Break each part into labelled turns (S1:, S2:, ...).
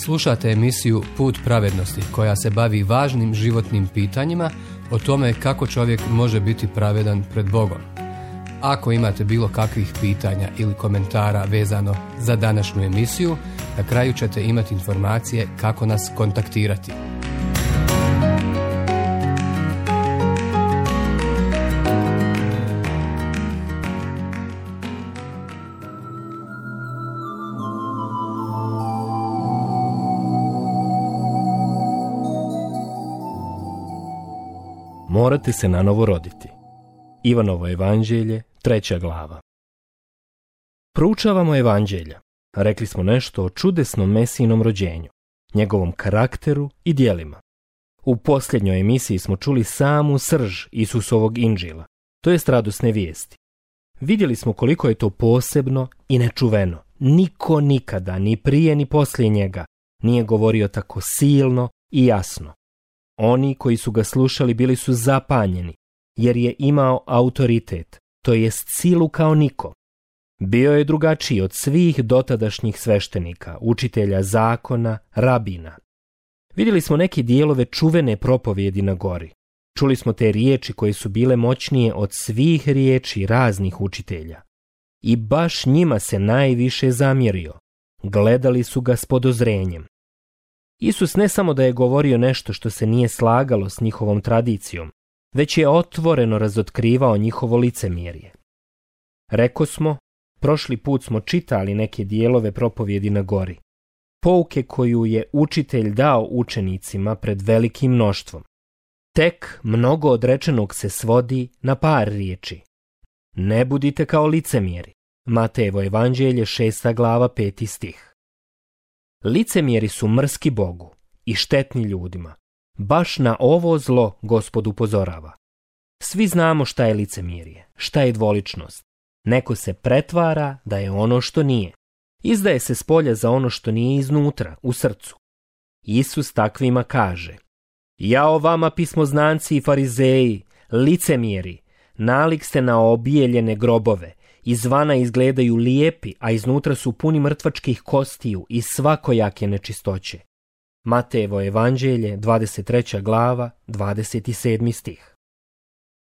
S1: Slušate emisiju Put pravednosti koja se bavi važnim životnim pitanjima o tome kako čovjek može biti pravedan pred Bogom. Ako imate bilo kakvih pitanja ili komentara vezano za današnju emisiju, na kraju ćete imati informacije kako nas kontaktirati.
S2: Morate se nanovo roditi. Ivanovo evanđelje, 3. glava. Proučavamo evanđelja. Rekli smo nešto o čudesnom Mesijinom rođenju, njegovom karakteru i djelima. U posljednjoj emisiji smo čuli samu srž Isusovog inđila, to jest radosne vijesti. Vidjeli smo koliko je to posebno i nečuveno. Niko nikada, ni prije ni poslije njega, nije govorio tako silno i jasno. Oni koji su ga slušali bili su zapanjeni, jer je imao autoritet, to jest silu kao niko. Bio je drugačiji od svih dotadašnjih sveštenika, učitelja zakona, rabina. Vidjeli smo neke dijelove čuvene propovjedi na gori. Čuli smo te riječi koje su bile moćnije od svih riječi raznih učitelja. I baš njima se najviše zamjerio. Gledali su ga s podozrenjem. Isus ne samo da je govorio nešto što se nije slagalo s njihovom tradicijom, već je otvoreno razotkrivao njihovo licemjerje. Rekosmo, prošli put smo čitali neke dijelove propovjedi na gori, pouke koju je učitelj dao učenicima pred velikim mnoštvom. Tek mnogo od rečenog se svodi na par riječi. Ne budite kao licemjeri. Matejevo evanđelje, 6. glava, 5. stih. Licemjeri su mrski Bogu i štetni ljudima. Baš na ovo zlo Gospod upozorava. Svi znamo šta je licemjerje, šta je dvoličnost. Neko se pretvara da je ono što nije. Izdaje se spolja za ono što nije iznutra, u srcu. Isus takvima kaže: Jao vama pismoznanci i farizeji, licemjeri, nalik ste na obijeljene grobove, izvana izgledaju lijepi, a iznutra su puni mrtvačkih kostiju i svakojake nečistoće. Matejevo evanđelje, 23. glava, 27. stih.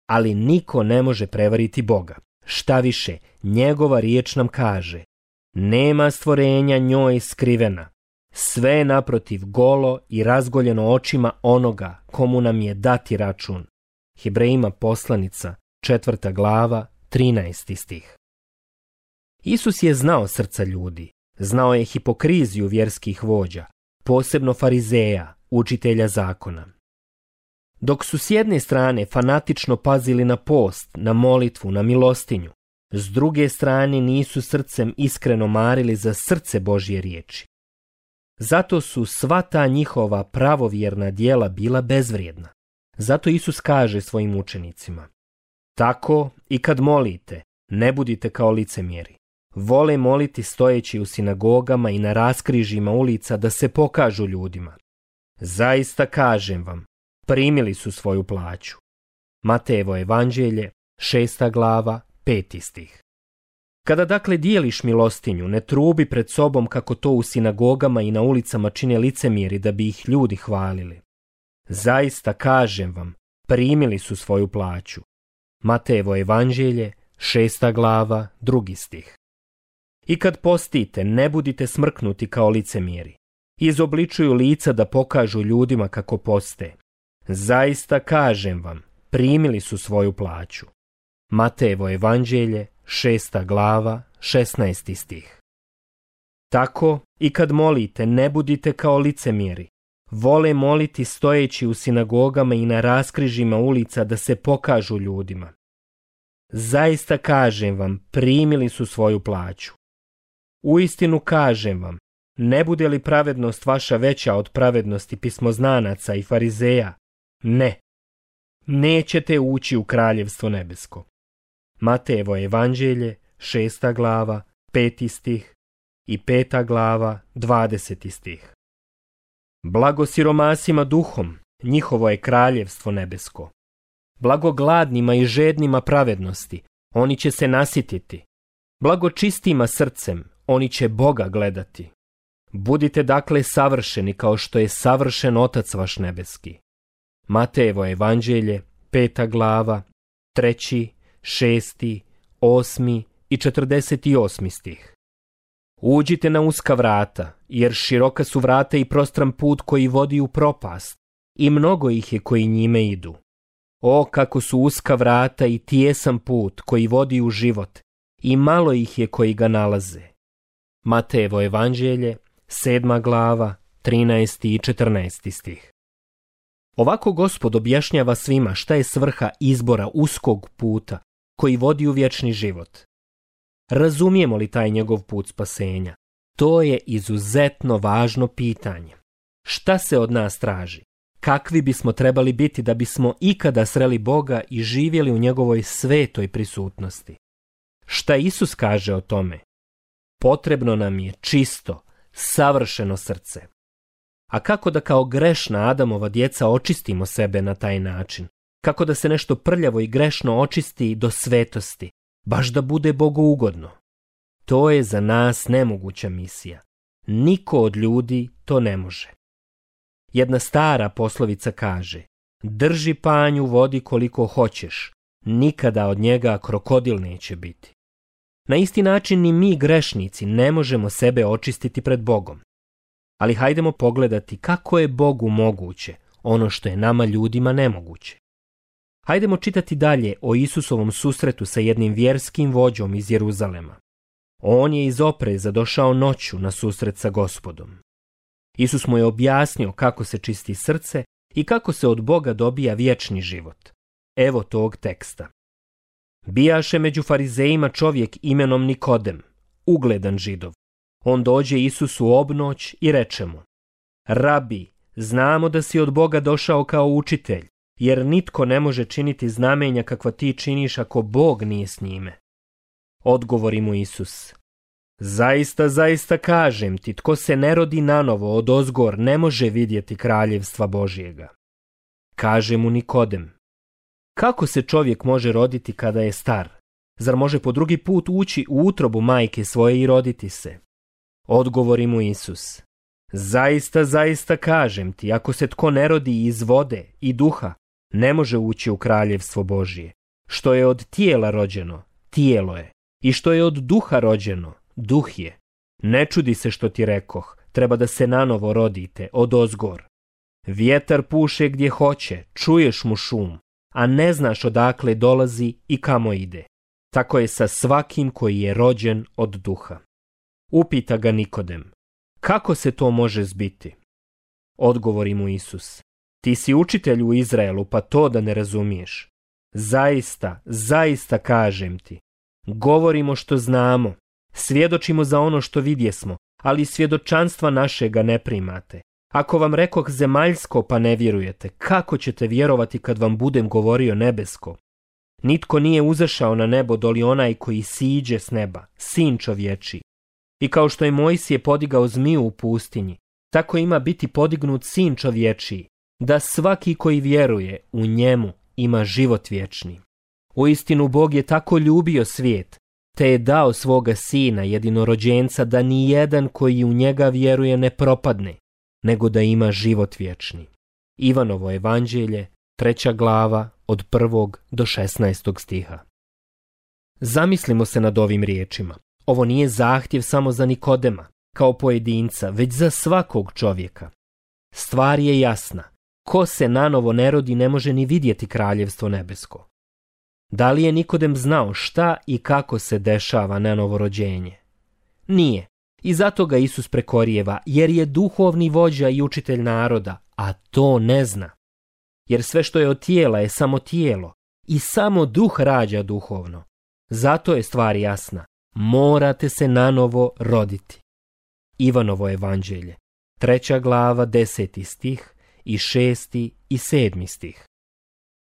S2: Ali niko ne može prevariti Boga. Šta više, njegova riječ nam kaže: nema stvorenja njoj skrivena. Sve je naprotiv golo i razgoljeno očima onoga komu nam je dati račun. Hebrejima poslanica, 4. glava, 13. stih. Isus je znao srca ljudi, znao je hipokriziju vjerskih vođa, posebno farizeja, učitelja zakona. Dok su s jedne strane fanatično pazili na post, na molitvu, na milostinju, s druge strane nisu srcem iskreno marili za srce Božje riječi. Zato su sva ta njihova pravovjerna djela bila bezvrijedna. Zato Isus kaže svojim učenicima: tako i kad molite, ne budite kao licemjeri. Vole moliti stojeći u sinagogama i na raskrižjima ulica da se pokažu ljudima. Zaista kažem vam, primili su svoju plaću. Matejevo evanđelje, 6. glava, 5. stih. Kada dakle dijeliš milostinju, ne trubi pred sobom kako to u sinagogama i na ulicama čine licemjeri da bi ih ljudi hvalili. Zaista kažem vam, primili su svoju plaću. Matejevo evanđelje, 6. glava, 2. stih. I kad postite, ne budite smrknuti kao licemjeri. Izobličuju lica da pokažu ljudima kako poste. Zaista kažem vam, primili su svoju plaću. Matejevo evanđelje, 6. glava, 16. stih. Tako i kad molite, ne budite kao licemjeri. Vole moliti stojeći u sinagogama i na raskrižjima ulica da se pokažu ljudima. Zaista kažem vam, primili su svoju plaću. Uistinu kažem vam, ne bude li pravednost vaša veća od pravednosti pismoznanaca i farizeja? Ne, nećete ući u kraljevstvo nebesko. Matejevo evanđelje, 6. glava, 5. stih i 5. glava, 20. stih. Blago siromasima duhom, njihovo je kraljevstvo nebesko. Blago gladnima i žednima pravednosti, oni će se nasititi. Blago čistima srcem, oni će Boga gledati. Budite dakle savršeni kao što je savršen Otac vaš nebeski. Matejevo evanđelje, 5. glava, 3., 6., 8. i 48. stih. Uđite na uska vrata, jer široka su vrata i prostran put koji vodi u propast, i mnogo ih je koji njime idu. O, kako su uska vrata i tijesan put koji vodi u život, i malo ih je koji ga nalaze. Matejevo evanđelje, 7. glava, 13. i 14. stih. Ovako Gospod objašnjava svima šta je svrha izbora uskog puta koji vodi u vječni život. Razumijemo li taj njegov put spasenja? To je izuzetno važno pitanje. Šta se od nas traži? Kakvi bismo trebali biti da bismo ikada sreli Boga i živjeli u njegovoj svetoj prisutnosti? Šta Isus kaže o tome? Potrebno nam je čisto, savršeno srce. A kako da kao grešna Adamova djeca očistimo sebe na taj način? Kako da se nešto prljavo i grešno očisti do svetosti, baš da bude Bogu ugodno? To je za nas nemoguća misija. Niko od ljudi to ne može. Jedna stara poslovica kaže: drži panj u vodi koliko hoćeš, nikada od njega krokodil neće biti. Na isti način ni mi grešnici ne možemo sebe očistiti pred Bogom. Ali hajdemo pogledati kako je Bogu moguće ono što je nama ljudima nemoguće. Hajdemo čitati dalje o Isusovom susretu sa jednim vjerskim vođom iz Jeruzalema. On je iz opreza došao noću na susret sa Gospodom. Isus mu je objasnio kako se čisti srce i kako se od Boga dobija vječni život. Evo tog teksta. Bijaše među farizejima čovjek imenom Nikodem, ugledan Židov. On dođe Isusu obnoć i reče mu: Rabi, znamo da si od Boga došao kao učitelj, jer nitko ne može činiti znamenja kakva ti činiš ako Bog nije s njime. Odgovori mu Isus: Zaista, zaista kažem ti, tko se ne rodi nanovo odozgor ne može vidjeti kraljevstva Božjega. Kaže mu Nikodem: Kako se čovjek može roditi kada je star? Zar može po drugi put ući u utrobu majke svoje i roditi se? Odgovori mu Isus: Zaista, zaista kažem ti, ako se tko ne rodi iz vode i duha, ne može ući u kraljevstvo Božje. Što je od tijela rođeno, tijelo je, i što je od duha rođeno, duh je. Ne čudi se što ti rekoh, treba da se nanovo rodite, odozgor. Vjetar puše gdje hoće, čuješ mu šum, a ne znaš odakle dolazi i kamo ide. Tako je sa svakim koji je rođen od duha. Upita ga Nikodem: Kako se to može zbiti? Odgovori mu Isus: Ti si učitelj u Izraelu, pa to da ne razumiješ. Zaista, zaista kažem ti, govorimo što znamo, svjedočimo za ono što vidjesmo, ali svjedočanstva našega ne primate. Ako vam rekoh zemaljsko pa ne vjerujete, kako ćete vjerovati kad vam budem govorio nebesko? Nitko nije uzašao na nebo doli onaj koji siđe s neba, sin čovječiji. I kao što je Mojsije podigao zmiju u pustinji, tako ima biti podignut sin čovječiji, da svaki koji vjeruje u njemu ima život vječni. Uistinu Bog je tako ljubio svijet, te je dao svoga sina jedinorođenca da ni jedan koji u njega vjeruje ne propadne, nego da ima život vječni. Ivanovo evanđelje, 3. glava, od 1. do 16. stiha. Zamislimo se nad ovim riječima. Ovo nije zahtjev samo za Nikodema, kao pojedinca, već za svakog čovjeka. Stvar je jasna. Ko se nanovo ne rodi ne može ni vidjeti kraljevstvo nebesko. Da li je Nikodem znao šta i kako se dešava na novorođenje? Nije. I zato ga Isus prekorijeva, jer je duhovni vođa i učitelj naroda, a to ne zna. Jer sve što je od tijela je samo tijelo i samo duh rađa duhovno. Zato je stvar jasna. Morate se nanovo roditi. Ivanovo evanđelje, 3. glava, 10. stih i 6. i 7. stih.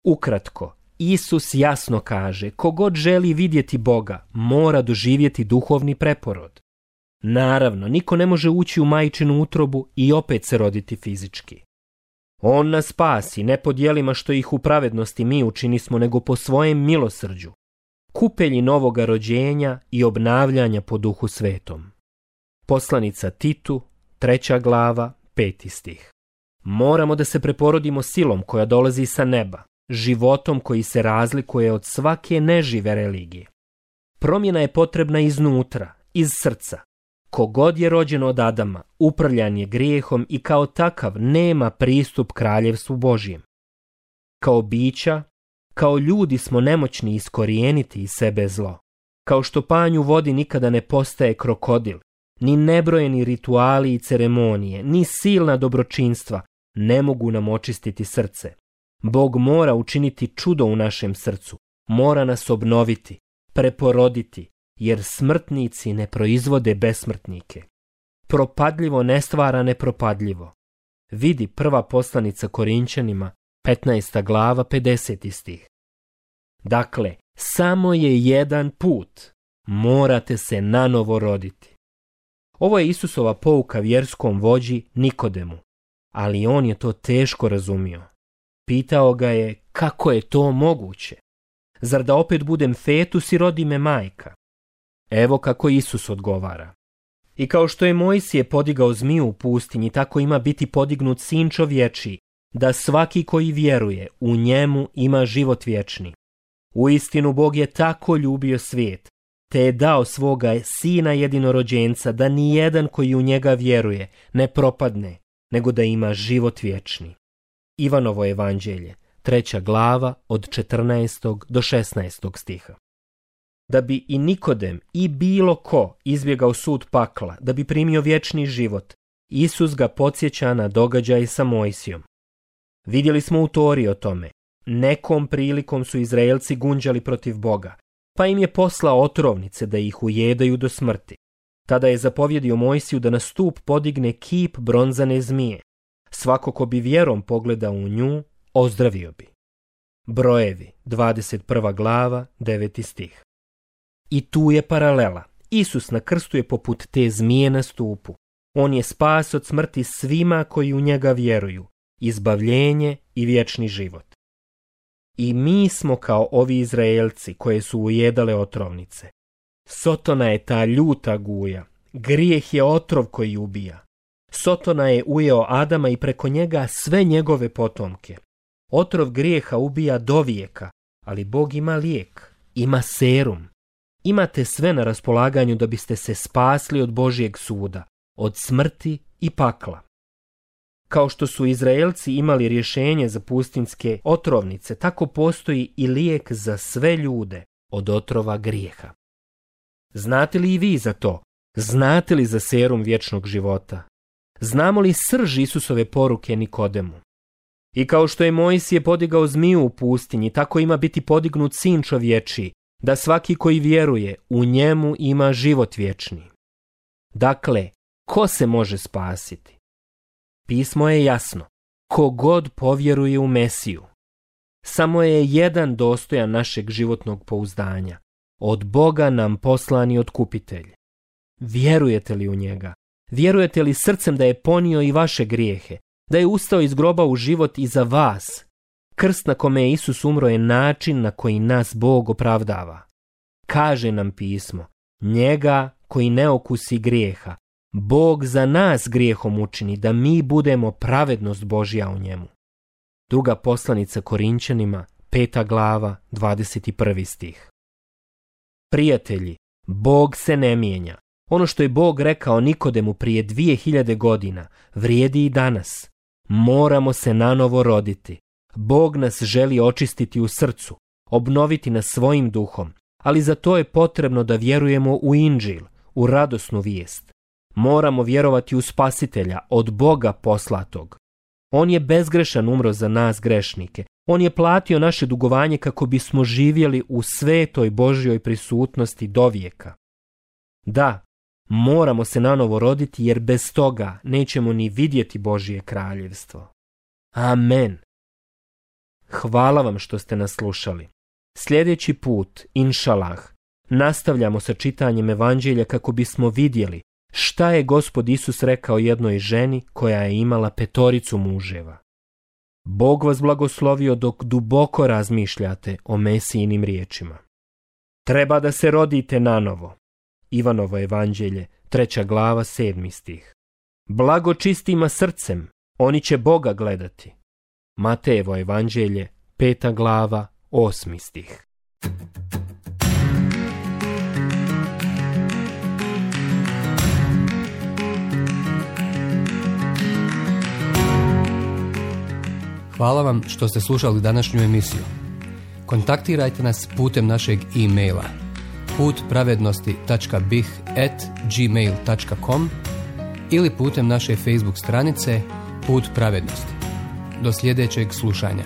S2: Ukratko, Isus jasno kaže, kogod želi vidjeti Boga, mora doživjeti duhovni preporod. Naravno, niko ne može ući u majčinu utrobu i opet se roditi fizički. On nas spasi, ne po djelima što ih u pravednosti mi učinismo, nego po svojem milosrđu, kupelji novoga rođenja i obnavljanja po Duhu Svetom. Poslanica Titu, 3. glava, 5. stih. Moramo da se preporodimo silom koja dolazi sa neba, životom koji se razlikuje od svake nežive religije. Promjena je potrebna iznutra, iz srca. Kogod je rođen od Adama, upravljan je grijehom i kao takav nema pristup kraljevstvu Božjem. Kao bića, kao ljudi smo nemoćni iskorijeniti iz sebe zlo. Kao što panj u vodi nikada ne postaje krokodil, ni nebrojeni rituali i ceremonije, ni silna dobročinstva ne mogu nam očistiti srce. Bog mora učiniti čudo u našem srcu, mora nas obnoviti, preporoditi, jer smrtnici ne proizvode besmrtnike. Propadljivo ne stvara nepropadljivo. Vidi prva poslanica Korinćanima, 15. glava, 50. stih. Dakle, samo je jedan put. Morate se nanovo roditi. Ovo je Isusova pouka vjerskom vođi Nikodemu, ali on je to teško razumio. Pitao ga je kako je to moguće. Zar da opet budem fetus i rodi me majka? Evo kako Isus odgovara. I kao što je Mojsije podigao zmiju u pustinji, tako ima biti podignut sin čovječiji, da svaki koji vjeruje u njemu ima život vječni. Uistinu Bog je tako ljubio svijet, te je dao svoga sina jedinorođenca, da nijedan koji u njega vjeruje ne propadne, nego da ima život vječni. Ivanovo evanđelje, 3. glava, od 14. do 16. stiha. Da bi i Nikodem i bilo ko izbjegao sud pakla, da bi primio vječni život, Isus ga podsjeća na događaj sa Mojsijom. Vidjeli smo u Tori o tome. Nekom prilikom su Izraelci gunđali protiv Boga, pa im je poslao otrovnice da ih ujedaju do smrti. Tada je zapovjedio Mojsiju da na stup podigne kip bronzane zmije. Svako ko bi vjerom pogledao u nju, ozdravio bi. Brojevi, 21. glava, 9. stih. I tu je paralela. Isus na krstu je poput te zmije na stupu. On je spas od smrti svima koji u njega vjeruju, izbavljenje i vječni život. I mi smo kao ovi Izraelci koje su ujedale otrovnice. Sotona je ta ljuta guja, grijeh je otrov koji ubija. Sotona je ujeo Adama i preko njega sve njegove potomke. Otrov grijeha ubija do vijeka, ali Bog ima lijek, ima serum. Imate sve na raspolaganju da biste se spasli od Božjeg suda, od smrti i pakla. Kao što su Izraelci imali rješenje za pustinjske otrovnice, tako postoji i lijek za sve ljude od otrova grijeha. Znate li i vi za to? Znate li za serum vječnog života? Znamo li srž Isusove poruke Nikodemu? I kao što je Mojsije podigao zmiju u pustinji, tako ima biti podignut sin čovječiji, da svaki koji vjeruje u njemu ima život vječni. Dakle, ko se može spasiti? Pismo je jasno. Kogod povjeruje u Mesiju. Samo je jedan dostojan našeg životnog pouzdanja. Od Boga nam poslani otkupitelj. Vjerujete li u njega? Vjerujete li srcem da je ponio i vaše grijehe? Da je ustao iz groba u život i za vas? Krst na kome je Isus umro je način na koji nas Bog opravdava. Kaže nam pismo, njega koji ne okusi grijeha, Bog za nas grijehom učini da mi budemo pravednost Božja u njemu. Druga poslanica Korinćanima, 5. glava, 21. stih. Prijatelji, Bog se ne mijenja. Ono što je Bog rekao Nikodemu prije 2000 godina vrijedi i danas. Moramo se nanovo roditi. Bog nas želi očistiti u srcu, obnoviti nas svojim duhom, ali za to je potrebno da vjerujemo u Inđil, u radosnu vijest. Moramo vjerovati u Spasitelja, od Boga poslatog. On je bezgrešan umro za nas grešnike. On je platio naše dugovanje kako bismo živjeli u svetoj Božjoj prisutnosti do vijeka. Da, moramo se nanovo roditi jer bez toga nećemo ni vidjeti Božje kraljevstvo. Amen. Hvala vam što ste nas slušali. Sljedeći put, inšalah, nastavljamo sa čitanjem evanđelja kako bismo vidjeli šta je Gospod Isus rekao jednoj ženi koja je imala 5 muževa. Bog vas blagoslovio dok duboko razmišljate o Mesijinim riječima. Treba da se rodite nanovo. Ivanovo evanđelje, 3. glava, 7. stih. Blago čistima srcem, oni će Boga gledati. Matejevo evanđelje, 5. glava, 8. stih.
S1: Hvala vam što ste slušali današnju emisiju. Kontaktirajte nas putem našeg e-maila putpravednosti.bih@gmail.com ili putem naše Facebook stranice Put pravednosti. Do sljedećeg slušanja.